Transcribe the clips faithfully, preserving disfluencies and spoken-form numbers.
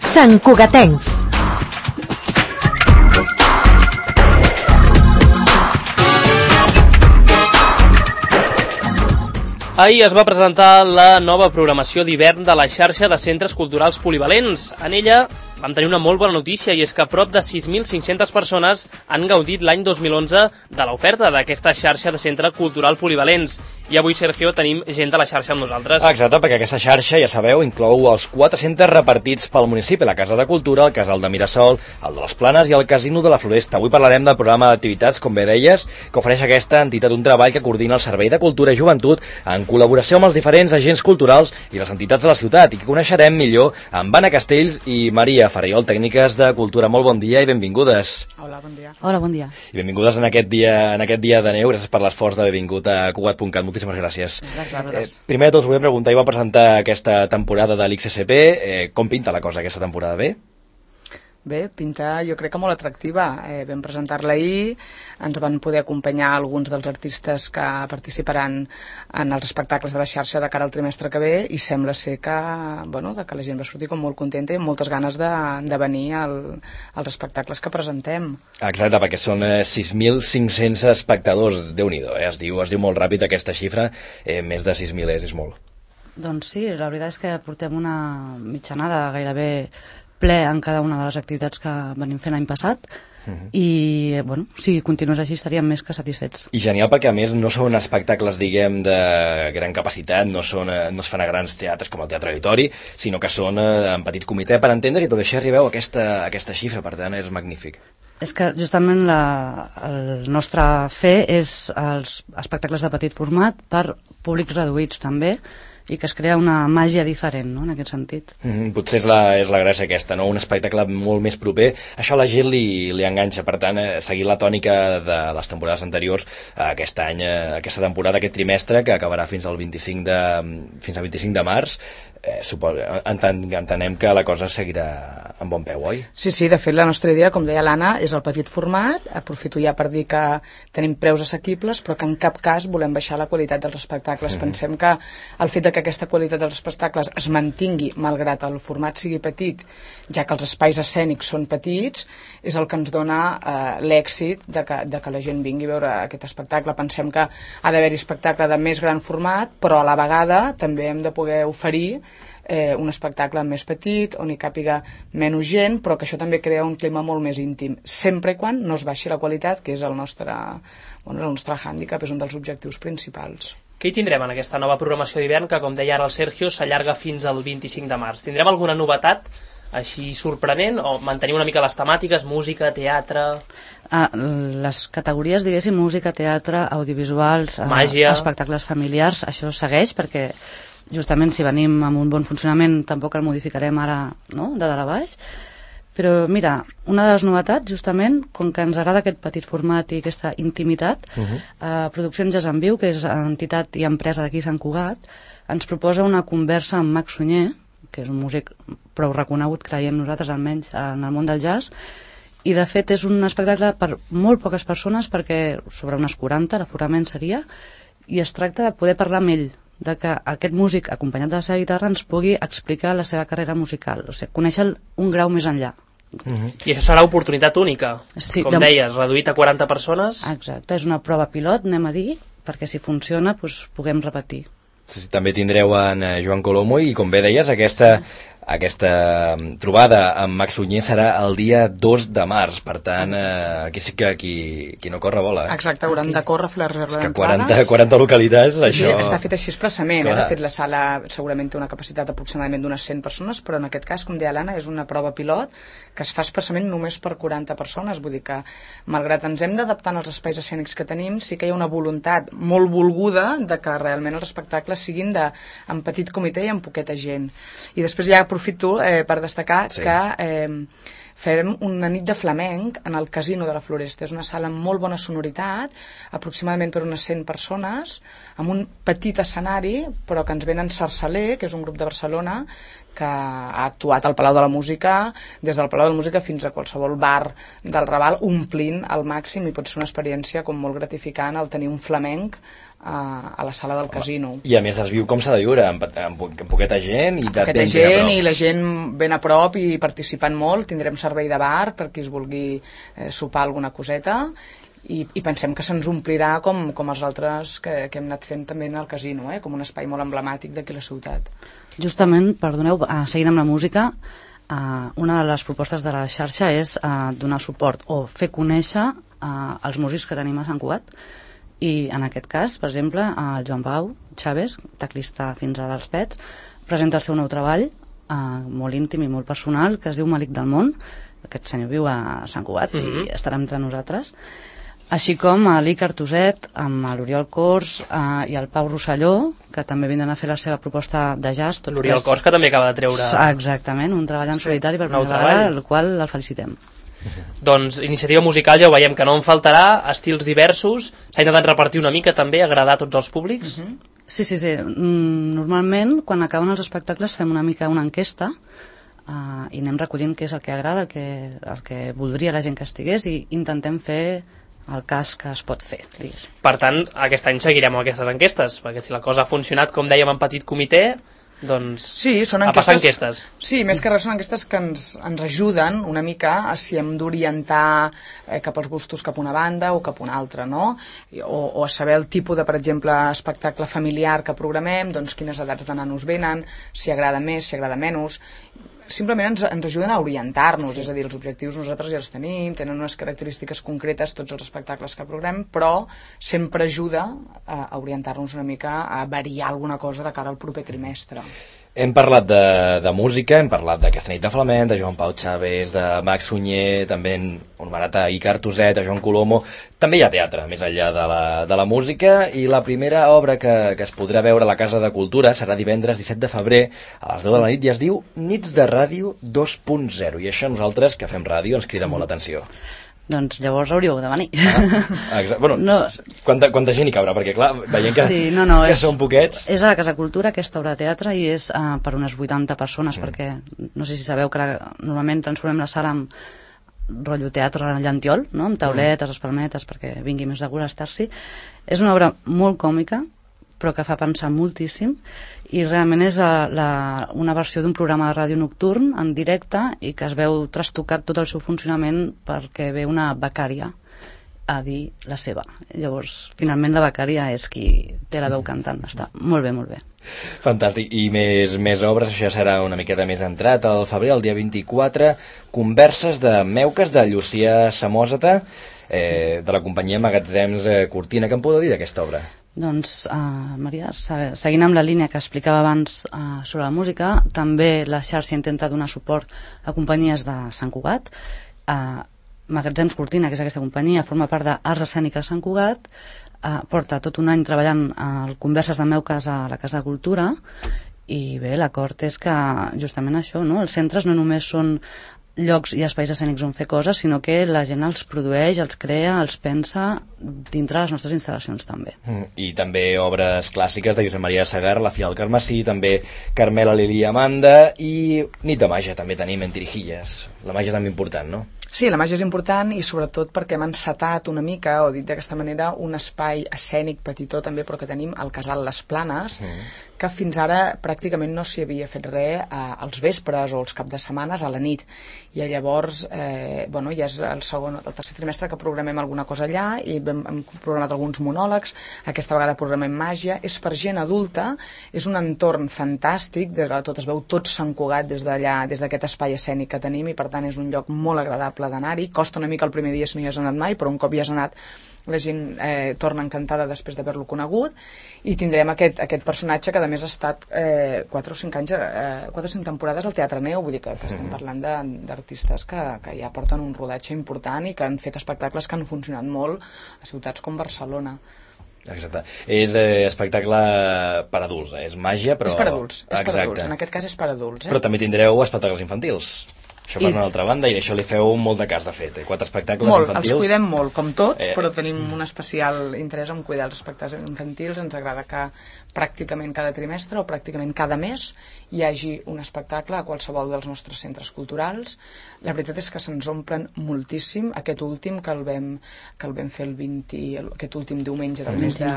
Santcugatencs. Ahir es va presentar la nova programació d'hivern de la xarxa de centres culturals polivalents. En ella vam tenir una molt bona notícia, i és que prop de sis mil cinc-centes persones han gaudit l'any dos mil onze de l'oferta d'aquesta xarxa de centre cultural polivalents. I avui, Sergio, tenim gent de la xarxa amb nosaltres. Exacte, perquè aquesta xarxa, ja sabeu, inclou els quatre centres repartits pel municipi: la Casa de Cultura, el Casal de Mirasol, el de les Planes i el Casino de la Floresta. Avui parlarem del programa d'activitats, com bé deies, que ofereix aquesta entitat, un treball que coordina el Servei de Cultura i Joventut en col·laboració amb els diferents agents culturals i les entitats de la ciutat, i que coneixerem millor amb Anna Castells i Maria Ferriol, tècniques de cultura. Molt bon dia i benvingudes. Hola, bon dia. Hola, bon dia. I benvingudes en aquest dia, en aquest dia de neu. Gràcies per l'esforç d'haver vingut a Cugat punt cat. Moltíssimes gràcies. Gràcies. Eh, primer de tot us volem preguntar, i va presentar aquesta temporada de l'X S P, eh, com pinta la cosa aquesta temporada? Bé? Bé, pinta jo crec que molt atractiva. Eh, vam presentar-la ahir, ens van poder acompanyar alguns dels artistes que participaran en els espectacles de la xarxa de cara al trimestre que ve, i sembla ser que, bueno, que la gent va sortir com molt contenta i amb moltes ganes de, de venir al, als espectacles que presentem. Exacte, perquè són eh, sis mil cinc-cents espectadors. Déu-n'hi-do, eh? es, diu, es diu molt ràpid aquesta xifra, eh, més de sis mil és, és molt. Doncs sí, la veritat és que portem una mitjanada gairebé ple en cada una de les activitats que venim fent l'any passat, uh-huh. i bueno, si continués així estaríem més que satisfets. I genial, perquè a més no són espectacles, diguem, de gran capacitat, no, són, no es fan a grans teatres com el Teatre Auditori, sinó que són eh, en petit comitè, per entendre, i tot això arribeu a aquesta, a aquesta xifra, per tant és magnífic. És que justament la, el nostre fer és els espectacles de petit format per públics reduïts també, i que es crea una màgia diferent, no?, en aquest sentit. Mm, potser és la, és la gràcia aquesta, no? Un espectacle molt més proper. Això a la gent li, li enganxa, per tant, eh, seguir la tònica de les temporades anteriors, eh, aquest any, eh, aquesta temporada, aquest trimestre, que acabarà fins al vint-i-cinc de, fins al vint-i-cinc de març, eh, supos, enten, entenem que la cosa seguirà en bon peu, oi? Sí, sí, de fet la nostra idea, com deia l'Anna, és el petit format. Aprofito ja per dir que tenim preus assequibles, però que en cap cas volem baixar la qualitat dels espectacles. Mm-hmm. Pensem que el fet de que aquesta qualitat dels espectacles es mantingui malgrat el format sigui petit, ja que els espais escènics són petits, és el que ens dona eh, l'èxit de que, de que la gent vingui a veure aquest espectacle. Pensem que ha d'haver-hi espectacle de més gran format, però a la vegada també hem de poder oferir eh, un espectacle més petit, on hi càpiga menys gent, però que això també crea un clima molt més íntim, sempre i quan no es baixi la qualitat, que és el nostre, bueno, el nostre hàndicap, és un dels objectius principals. Què hi tindrem en aquesta nova programació d'hivern que, com deia ara el Sergio, s'allarga fins al vint-i-cinc de març? Tindrem alguna novetat així sorprenent, o mantenir una mica les temàtiques, música, teatre? Ah, les categories, diguéssim, música, teatre, audiovisuals, màgia, eh, espectacles familiars, això segueix, perquè justament si venim amb un bon funcionament tampoc el modificarem ara, no?, de dalt a baix. Però mira, una de les novetats, justament, com que ens agrada aquest petit format i aquesta intimitat, uh-huh. eh, Produccions Jazz en Viu, que és entitat i empresa d'aquí Sant Cugat, ens proposa una conversa amb Max Sunyer, que és un músic prou reconegut, creiem nosaltres almenys, en el món del jazz, i de fet és un espectacle per molt poques persones, perquè sobre unes quaranta l'aforament seria, i es tracta de poder parlar amb ell, de que aquest músic, acompanyat de la seva guitarra, ens pugui explicar la seva carrera musical, o sigui, conèixer un grau més enllà. Uh-huh. I això serà oportunitat única, sí, com de... deies, reduït a quaranta persones. Exacte, és una prova pilot, anem a dir, perquè si funciona doncs, puguem repetir. Sí, també tindreu en Joan Colomo, i com bé deies, aquesta, aquesta trobada amb Max Sunyer serà el dia dos de març, per tant, eh, aquí sí que qui, qui no corre vola. Eh? Exacte, hauran de córrer a fer la reserva d'entrades. d'entrades. quaranta, quaranta localitats, sí, això... Sí, està fet així expressament, eh? De fet la sala segurament té una capacitat aproximadament d'unes cent persones, però en aquest cas, com deia l'Anna, és una prova pilot que es fa expressament només per quaranta persones, vull dir que, malgrat ens hem d'adaptar als espais escènics que tenim, sí que hi ha una voluntat molt volguda de que realment els espectacles siguin de, en petit comitè i amb poqueta gent. I després ja aprofito eh, per destacar sí. que eh, farem una nit de flamenc en el Casino de la Floresta. És una sala amb molt bona sonoritat, aproximadament per unes cent persones, amb un petit escenari, però que ens venen Sarsaler, que és un grup de Barcelona, que ha actuat al Palau de la Música, des del Palau de la Música fins a qualsevol bar del Raval, omplint al màxim, i pot ser una experiència com molt gratificant el tenir un flamenc a, a la sala del Casino. I a més es viu com s'ha de viure, amb, amb, amb poqueta gent, i poqueta gent, i la gent ben a prop i participant molt. Tindrem servei de bar per qui es vulgui eh, sopar alguna coseta, i, i pensem que se'ns omplirà com, com els altres que, que hem anat fent també al Casino, eh? Com un espai molt emblemàtic d'aquí la ciutat. Justament, perdoneu, uh, seguint amb la música, uh, una de les propostes de la xarxa és uh, donar suport o fer conèixer uh, els músics que tenim a Sant Cugat, i en aquest cas, per exemple, el Joan Pau Chávez, teclista fins a dels Pets, presenta el seu nou treball, uh, molt íntim i molt personal, que es diu Malic del Món. Aquest senyor viu a Sant Cugat mm-hmm. i estarà entre nosaltres. Així com a l'Icar Tuset, amb l'Oriol Cors eh, i el Pau Rosselló, que també vindran a fer la seva proposta de jazz. L'Oriol Cors, que també acaba de treure... Exactament, un treball en solitari per primera vegada, el qual el felicitem. Doncs iniciativa musical ja ho veiem que no en faltarà, estils diversos, s'ha intentat repartir una mica també, agradar a tots els públics. Uh-huh. Sí, sí, sí. Normalment, quan acaben els espectacles, fem una mica una enquesta uh, i anem recollint què és el que agrada, el que, el que voldria la gent que estigués, i intentem fer el cas que es pot fer, diguéssim. Per tant, aquest any seguirem amb aquestes enquestes, perquè si la cosa ha funcionat, com dèiem, en petit comitè, doncs sí, són enquestes, a passar enquestes. Sí, més que res són enquestes que ens, ens ajuden una mica a si hem d'orientar eh, cap als gustos cap a una banda o cap a una altra, no? O, o a saber el tipus de, per exemple, espectacle familiar que programem, doncs quines edats de nanos venen, si agrada més, si agrada menys. Simplement ens, ens ajuden a orientar-nos, sí. És a dir, els objectius nosaltres ja els tenim, tenen unes característiques concretes tots els espectacles que programem, però sempre ajuda a, a orientar-nos una mica, a variar alguna cosa de cara al proper trimestre. Hem parlat de, de música, hem parlat d'aquesta nit de flamenc, de Joan Pau Chávez, de Max Sunyer, també hem anomenat a Icar Tuset, a Joan Colomo. També hi ha teatre, més enllà de la, de la música, i la primera obra que, que es podrà veure a la Casa de Cultura serà divendres disset de febrer a les deu de la nit, i es diu Nits de Ràdio dos punt zero, i això nosaltres, que fem ràdio, ens crida molt l'atenció. Doncs llavors hauríeu de venir. Ah, bueno, no. quanta, quanta gent hi cabrà? Perquè clar, veient que, sí, no, no, que és, són poquets... És a la Casa Cultura, aquesta obra de teatre, i és uh, per unes vuitanta persones, mm. perquè no sé si sabeu que la, normalment transformem la sala en rotllo teatre llantiol, no? Amb tauletes, mm. espalmetes, perquè vingui més de gust a estar-s'hi. És una obra molt còmica, però que fa pensar moltíssim, i realment és la, la, una versió d'un programa de ràdio nocturn en directe, i que es veu trastocat tot el seu funcionament perquè ve una becària a dir la seva. Llavors, finalment la becària és qui té la veu cantant. Està molt bé, molt bé. Fantàstic. I més, més obres, això serà una miqueta més entrat. Al febrer, el dia vint-i-quatre, converses de Meuques, de Llucia Samòsata, eh, de la companyia Magatzems eh, Cortina. Què em podeu dir d'aquesta obra? Doncs, uh, Maria, seguint amb la línia que explicava abans uh, sobre la música, també la xarxa intenta donar suport a companyies de Sant Cugat. Uh, Magatzems Cortina, que és aquesta companyia, forma part d'Arts Escèniques Sant Cugat, uh, porta tot un any treballant a uh, converses de Meuques a la Casa de Cultura, i bé, l'acord és que justament això, no? Els centres no només són llocs i espais escènics on fer coses, sinó que la gent els produeix, els crea, els pensa dintre les nostres instal·lacions també. Mm, I també obres clàssiques de Josep Maria Sagar, La filla del Carmesí, també Carmela, Lili i Amanda, i Nit de Màgia també tenim en Tirijillas. La màgia també important, no? Sí, la màgia és important, i sobretot perquè hem encetat una mica, o dit d'aquesta manera, un espai escènic petitó també, però que tenim al Casal Les Planes, mm. que fins ara pràcticament no s'hi havia fet res eh, als vespres o als caps de setmanes a la nit. I llavors, eh, bueno, ja és el segon el tercer trimestre que programem alguna cosa allà, i hem, hem programat alguns monòlegs, aquesta vegada programem màgia. És per gent adulta, és un entorn fantàstic, des de tot es veu tot Sant Cugat des d'allà, des d'aquest espai escènic que tenim, i per tant és un lloc molt agradable d'anar-hi. Costa una mica el primer dia si no hi has anat mai, però un cop hi has anat la gent eh, torna encantada després d'haver-lo conegut, i tindrem aquest, aquest personatge que a més ha estat eh, quatre o cinc anys, eh, quatre o cinc temporades al Teatre Neu, vull dir que, que estem parlant d'artistes que, que ja porten un rodatge important i que han fet espectacles que han funcionat molt a ciutats com Barcelona. Exacte. És eh, espectacle per adults, eh? És màgia, però... És per adults, és per adults. En aquest cas és per adults. Eh? Però també tindreu espectacles infantils. Això per una altra banda, i d'això li feu molt de cas, de fet. Quatre espectacles molt, infantils. Els cuidem molt, com tots, eh... però tenim un especial interès en cuidar els espectacles infantils. Ens agrada que pràcticament cada trimestre o pràcticament cada mes hi hagi un espectacle a qualsevol dels nostres centres culturals. La veritat és que se'ns omplen moltíssim. Aquest últim, que el vam, que el vam fer el vint, aquest últim diumenge del mes de,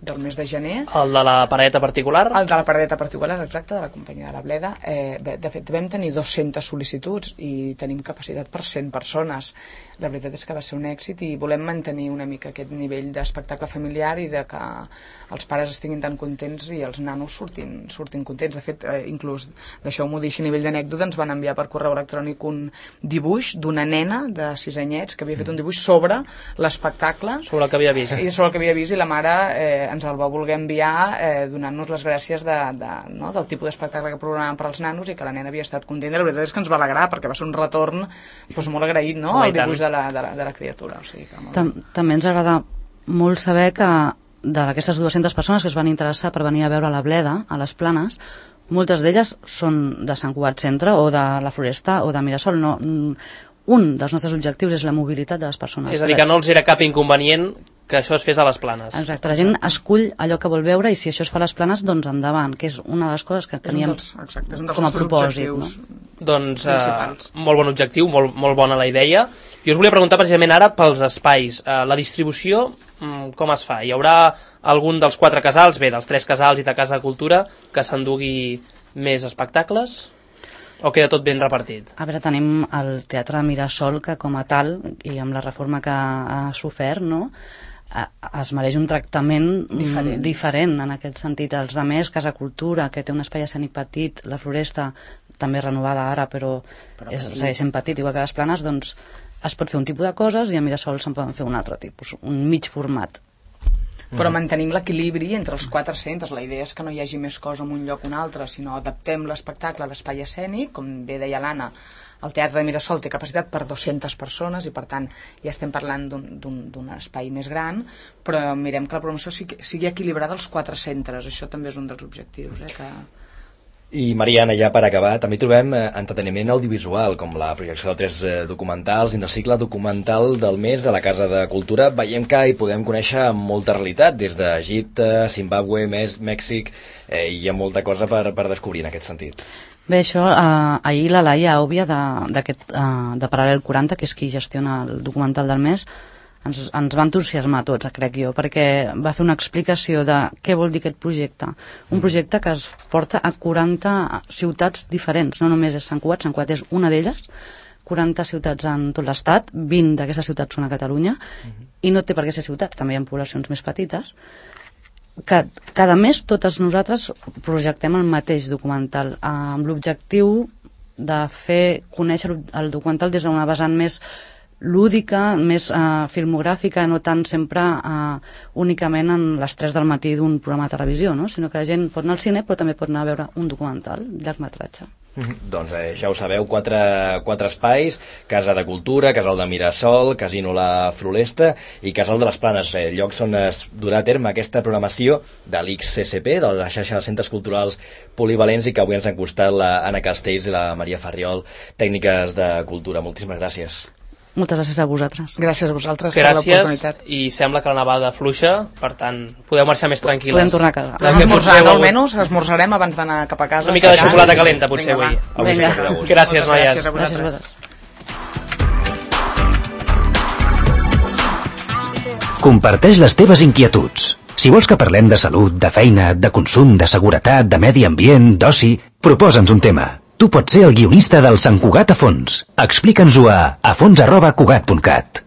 del mes de gener. El de la paradeta particular? El de la paradeta particular, exacte, de la companyia de la Bleda. Eh, de fet, vam tenir dues-centes sol·licituds i tenim capacitat per cent persones. La veritat és que va ser un èxit i volem mantenir una mica aquest nivell d'espectacle familiar i de que els pares estiguin tan contents i els nanos surtin, surtin contents. De fet, eh, inclús, deixeu-m'ho dir, a nivell d'anècdota, ens van enviar per correu electrònic un dibuix d'una nena de sis anyets que havia fet un dibuix sobre l'espectacle. Sobre el que havia vist. I sobre el que havia vist, i la mare eh, ens el va voler enviar eh, donant-nos les gràcies de, de, no, del tipus d'espectacle que programàvem per als nanos i que la nena havia estat contenta. La veritat és que ens va alegrar perquè va ser un retorn doncs, molt agraït, no?, oh, el dibuix de la, de la, de la criatura. O sigui que molt... Tam també ens agrada molt saber que d'aquestes dues-centes persones que es van interessar per venir a veure la Bleda a les Planes, moltes d'elles són de Sant Cugat Centre o de la Floresta o de Mirasol. No, un dels nostres objectius és la mobilitat de les persones. És a dir, que no els era cap inconvenient que això es fes a les Planes. Exacte, la gent escull allò que vol veure i si això es fa a les Planes, doncs endavant, que és una de les coses que teníem és un dels, exacte, és un dels com a propòsit. No? Doncs eh, molt bon objectiu, molt, molt bona la idea. Jo us volia preguntar precisament ara pels espais. Eh, la distribució, com es fa? Hi haurà algun dels quatre casals, bé, dels tres casals i de Casa de Cultura, que s'endugui més espectacles? O queda tot ben repartit? A veure, tenim el Teatre de Mirasol, que com a tal, i amb la reforma que ha sofert, no?, es mereix un tractament diferent. diferent en aquest sentit. Els de més, Casa Cultura, que té un espai escènic petit, la Floresta també renovada ara, però, però és, segueix sent petit, igual que les Planes, doncs es pot fer un tipus de coses i a Mirasol se'n poden fer un altre tipus, un mig format. Però mantenim l'equilibri entre els quatre centres. La idea és que no hi hagi més cosa en un lloc o un altre, sinó adaptem l'espectacle a l'espai escènic. Com bé deia l'Anna, el Teatre de Mirasol té capacitat per dues-centes persones i per tant ja estem parlant d'un espai més gran, però mirem que la programació sigui, sigui equilibrada als quatre centres. Això també és un dels objectius, eh, que... I Mariana, ja per acabar, també trobem eh, entreteniment audiovisual, com la projecció de tres eh, documentals dins el cicle documental del mes a la Casa de Cultura. Veiem que hi podem conèixer molta realitat, des d'Egipte, Zimbàbue, Mèxic, eh, i hi ha molta cosa per, per descobrir en aquest sentit. Bé, això, eh, ahir la Laia Òbvia de, de, eh, de Paral·lel quaranta, que és qui gestiona el documental del mes, ens, ens va entusiasmar a tots, crec jo, perquè va fer una explicació de què vol dir aquest projecte. Un projecte que es porta a quaranta ciutats diferents, no només és Sant Cugat, Sant Cugat és una d'elles, quaranta ciutats en tot l'estat, vint d'aquestes ciutats són a Catalunya, uh-huh. i no té per què ser ciutats, també hi ha poblacions més petites, que cada mes totes nosaltres projectem el mateix documental, amb l'objectiu de fer conèixer el documental des d'una vessant més lúdica, més eh, filmogràfica, no tant sempre eh, únicament en les tres del matí d'un programa de televisió, no? Sinó que la gent pot anar al cine però també pot anar a veure un documental, llargmetratge. Mm-hmm. Doncs eh, ja ho sabeu, quatre, quatre espais, Casa de Cultura, Casal de Mirasol, Casino La Floresta i Casal de les Planes, eh, llocs on es durà a terme aquesta programació de l'X C C P, de la xarxa de centres culturals polivalents, i que avui ens han costat la Anna Castells i la Maria Farriol, tècniques de cultura. Moltíssimes gràcies. Moltes gràcies a vosaltres. Gràcies a vosaltres gràcies, per l'oportunitat. I sembla que la nevada fluixa, per tant, podeu marxar més tranquil·les. Podem tornar a casa. Anem esmorzant, almenys esmorzarem abans d'anar cap a casa. Una mica de xocolata calenta, potser, Vinga, avui. Vinga. Gràcies, noies. Gràcies a vosaltres. Comparteix les teves inquietuds. Si vols que parlem de salut, de feina, de consum, de seguretat, de medi ambient, d'oci, proposa'ns un tema. Tu pots ser el guionista del Sant Cugat a fons. Explica'ns-ho a afons arroba cugat punt cat.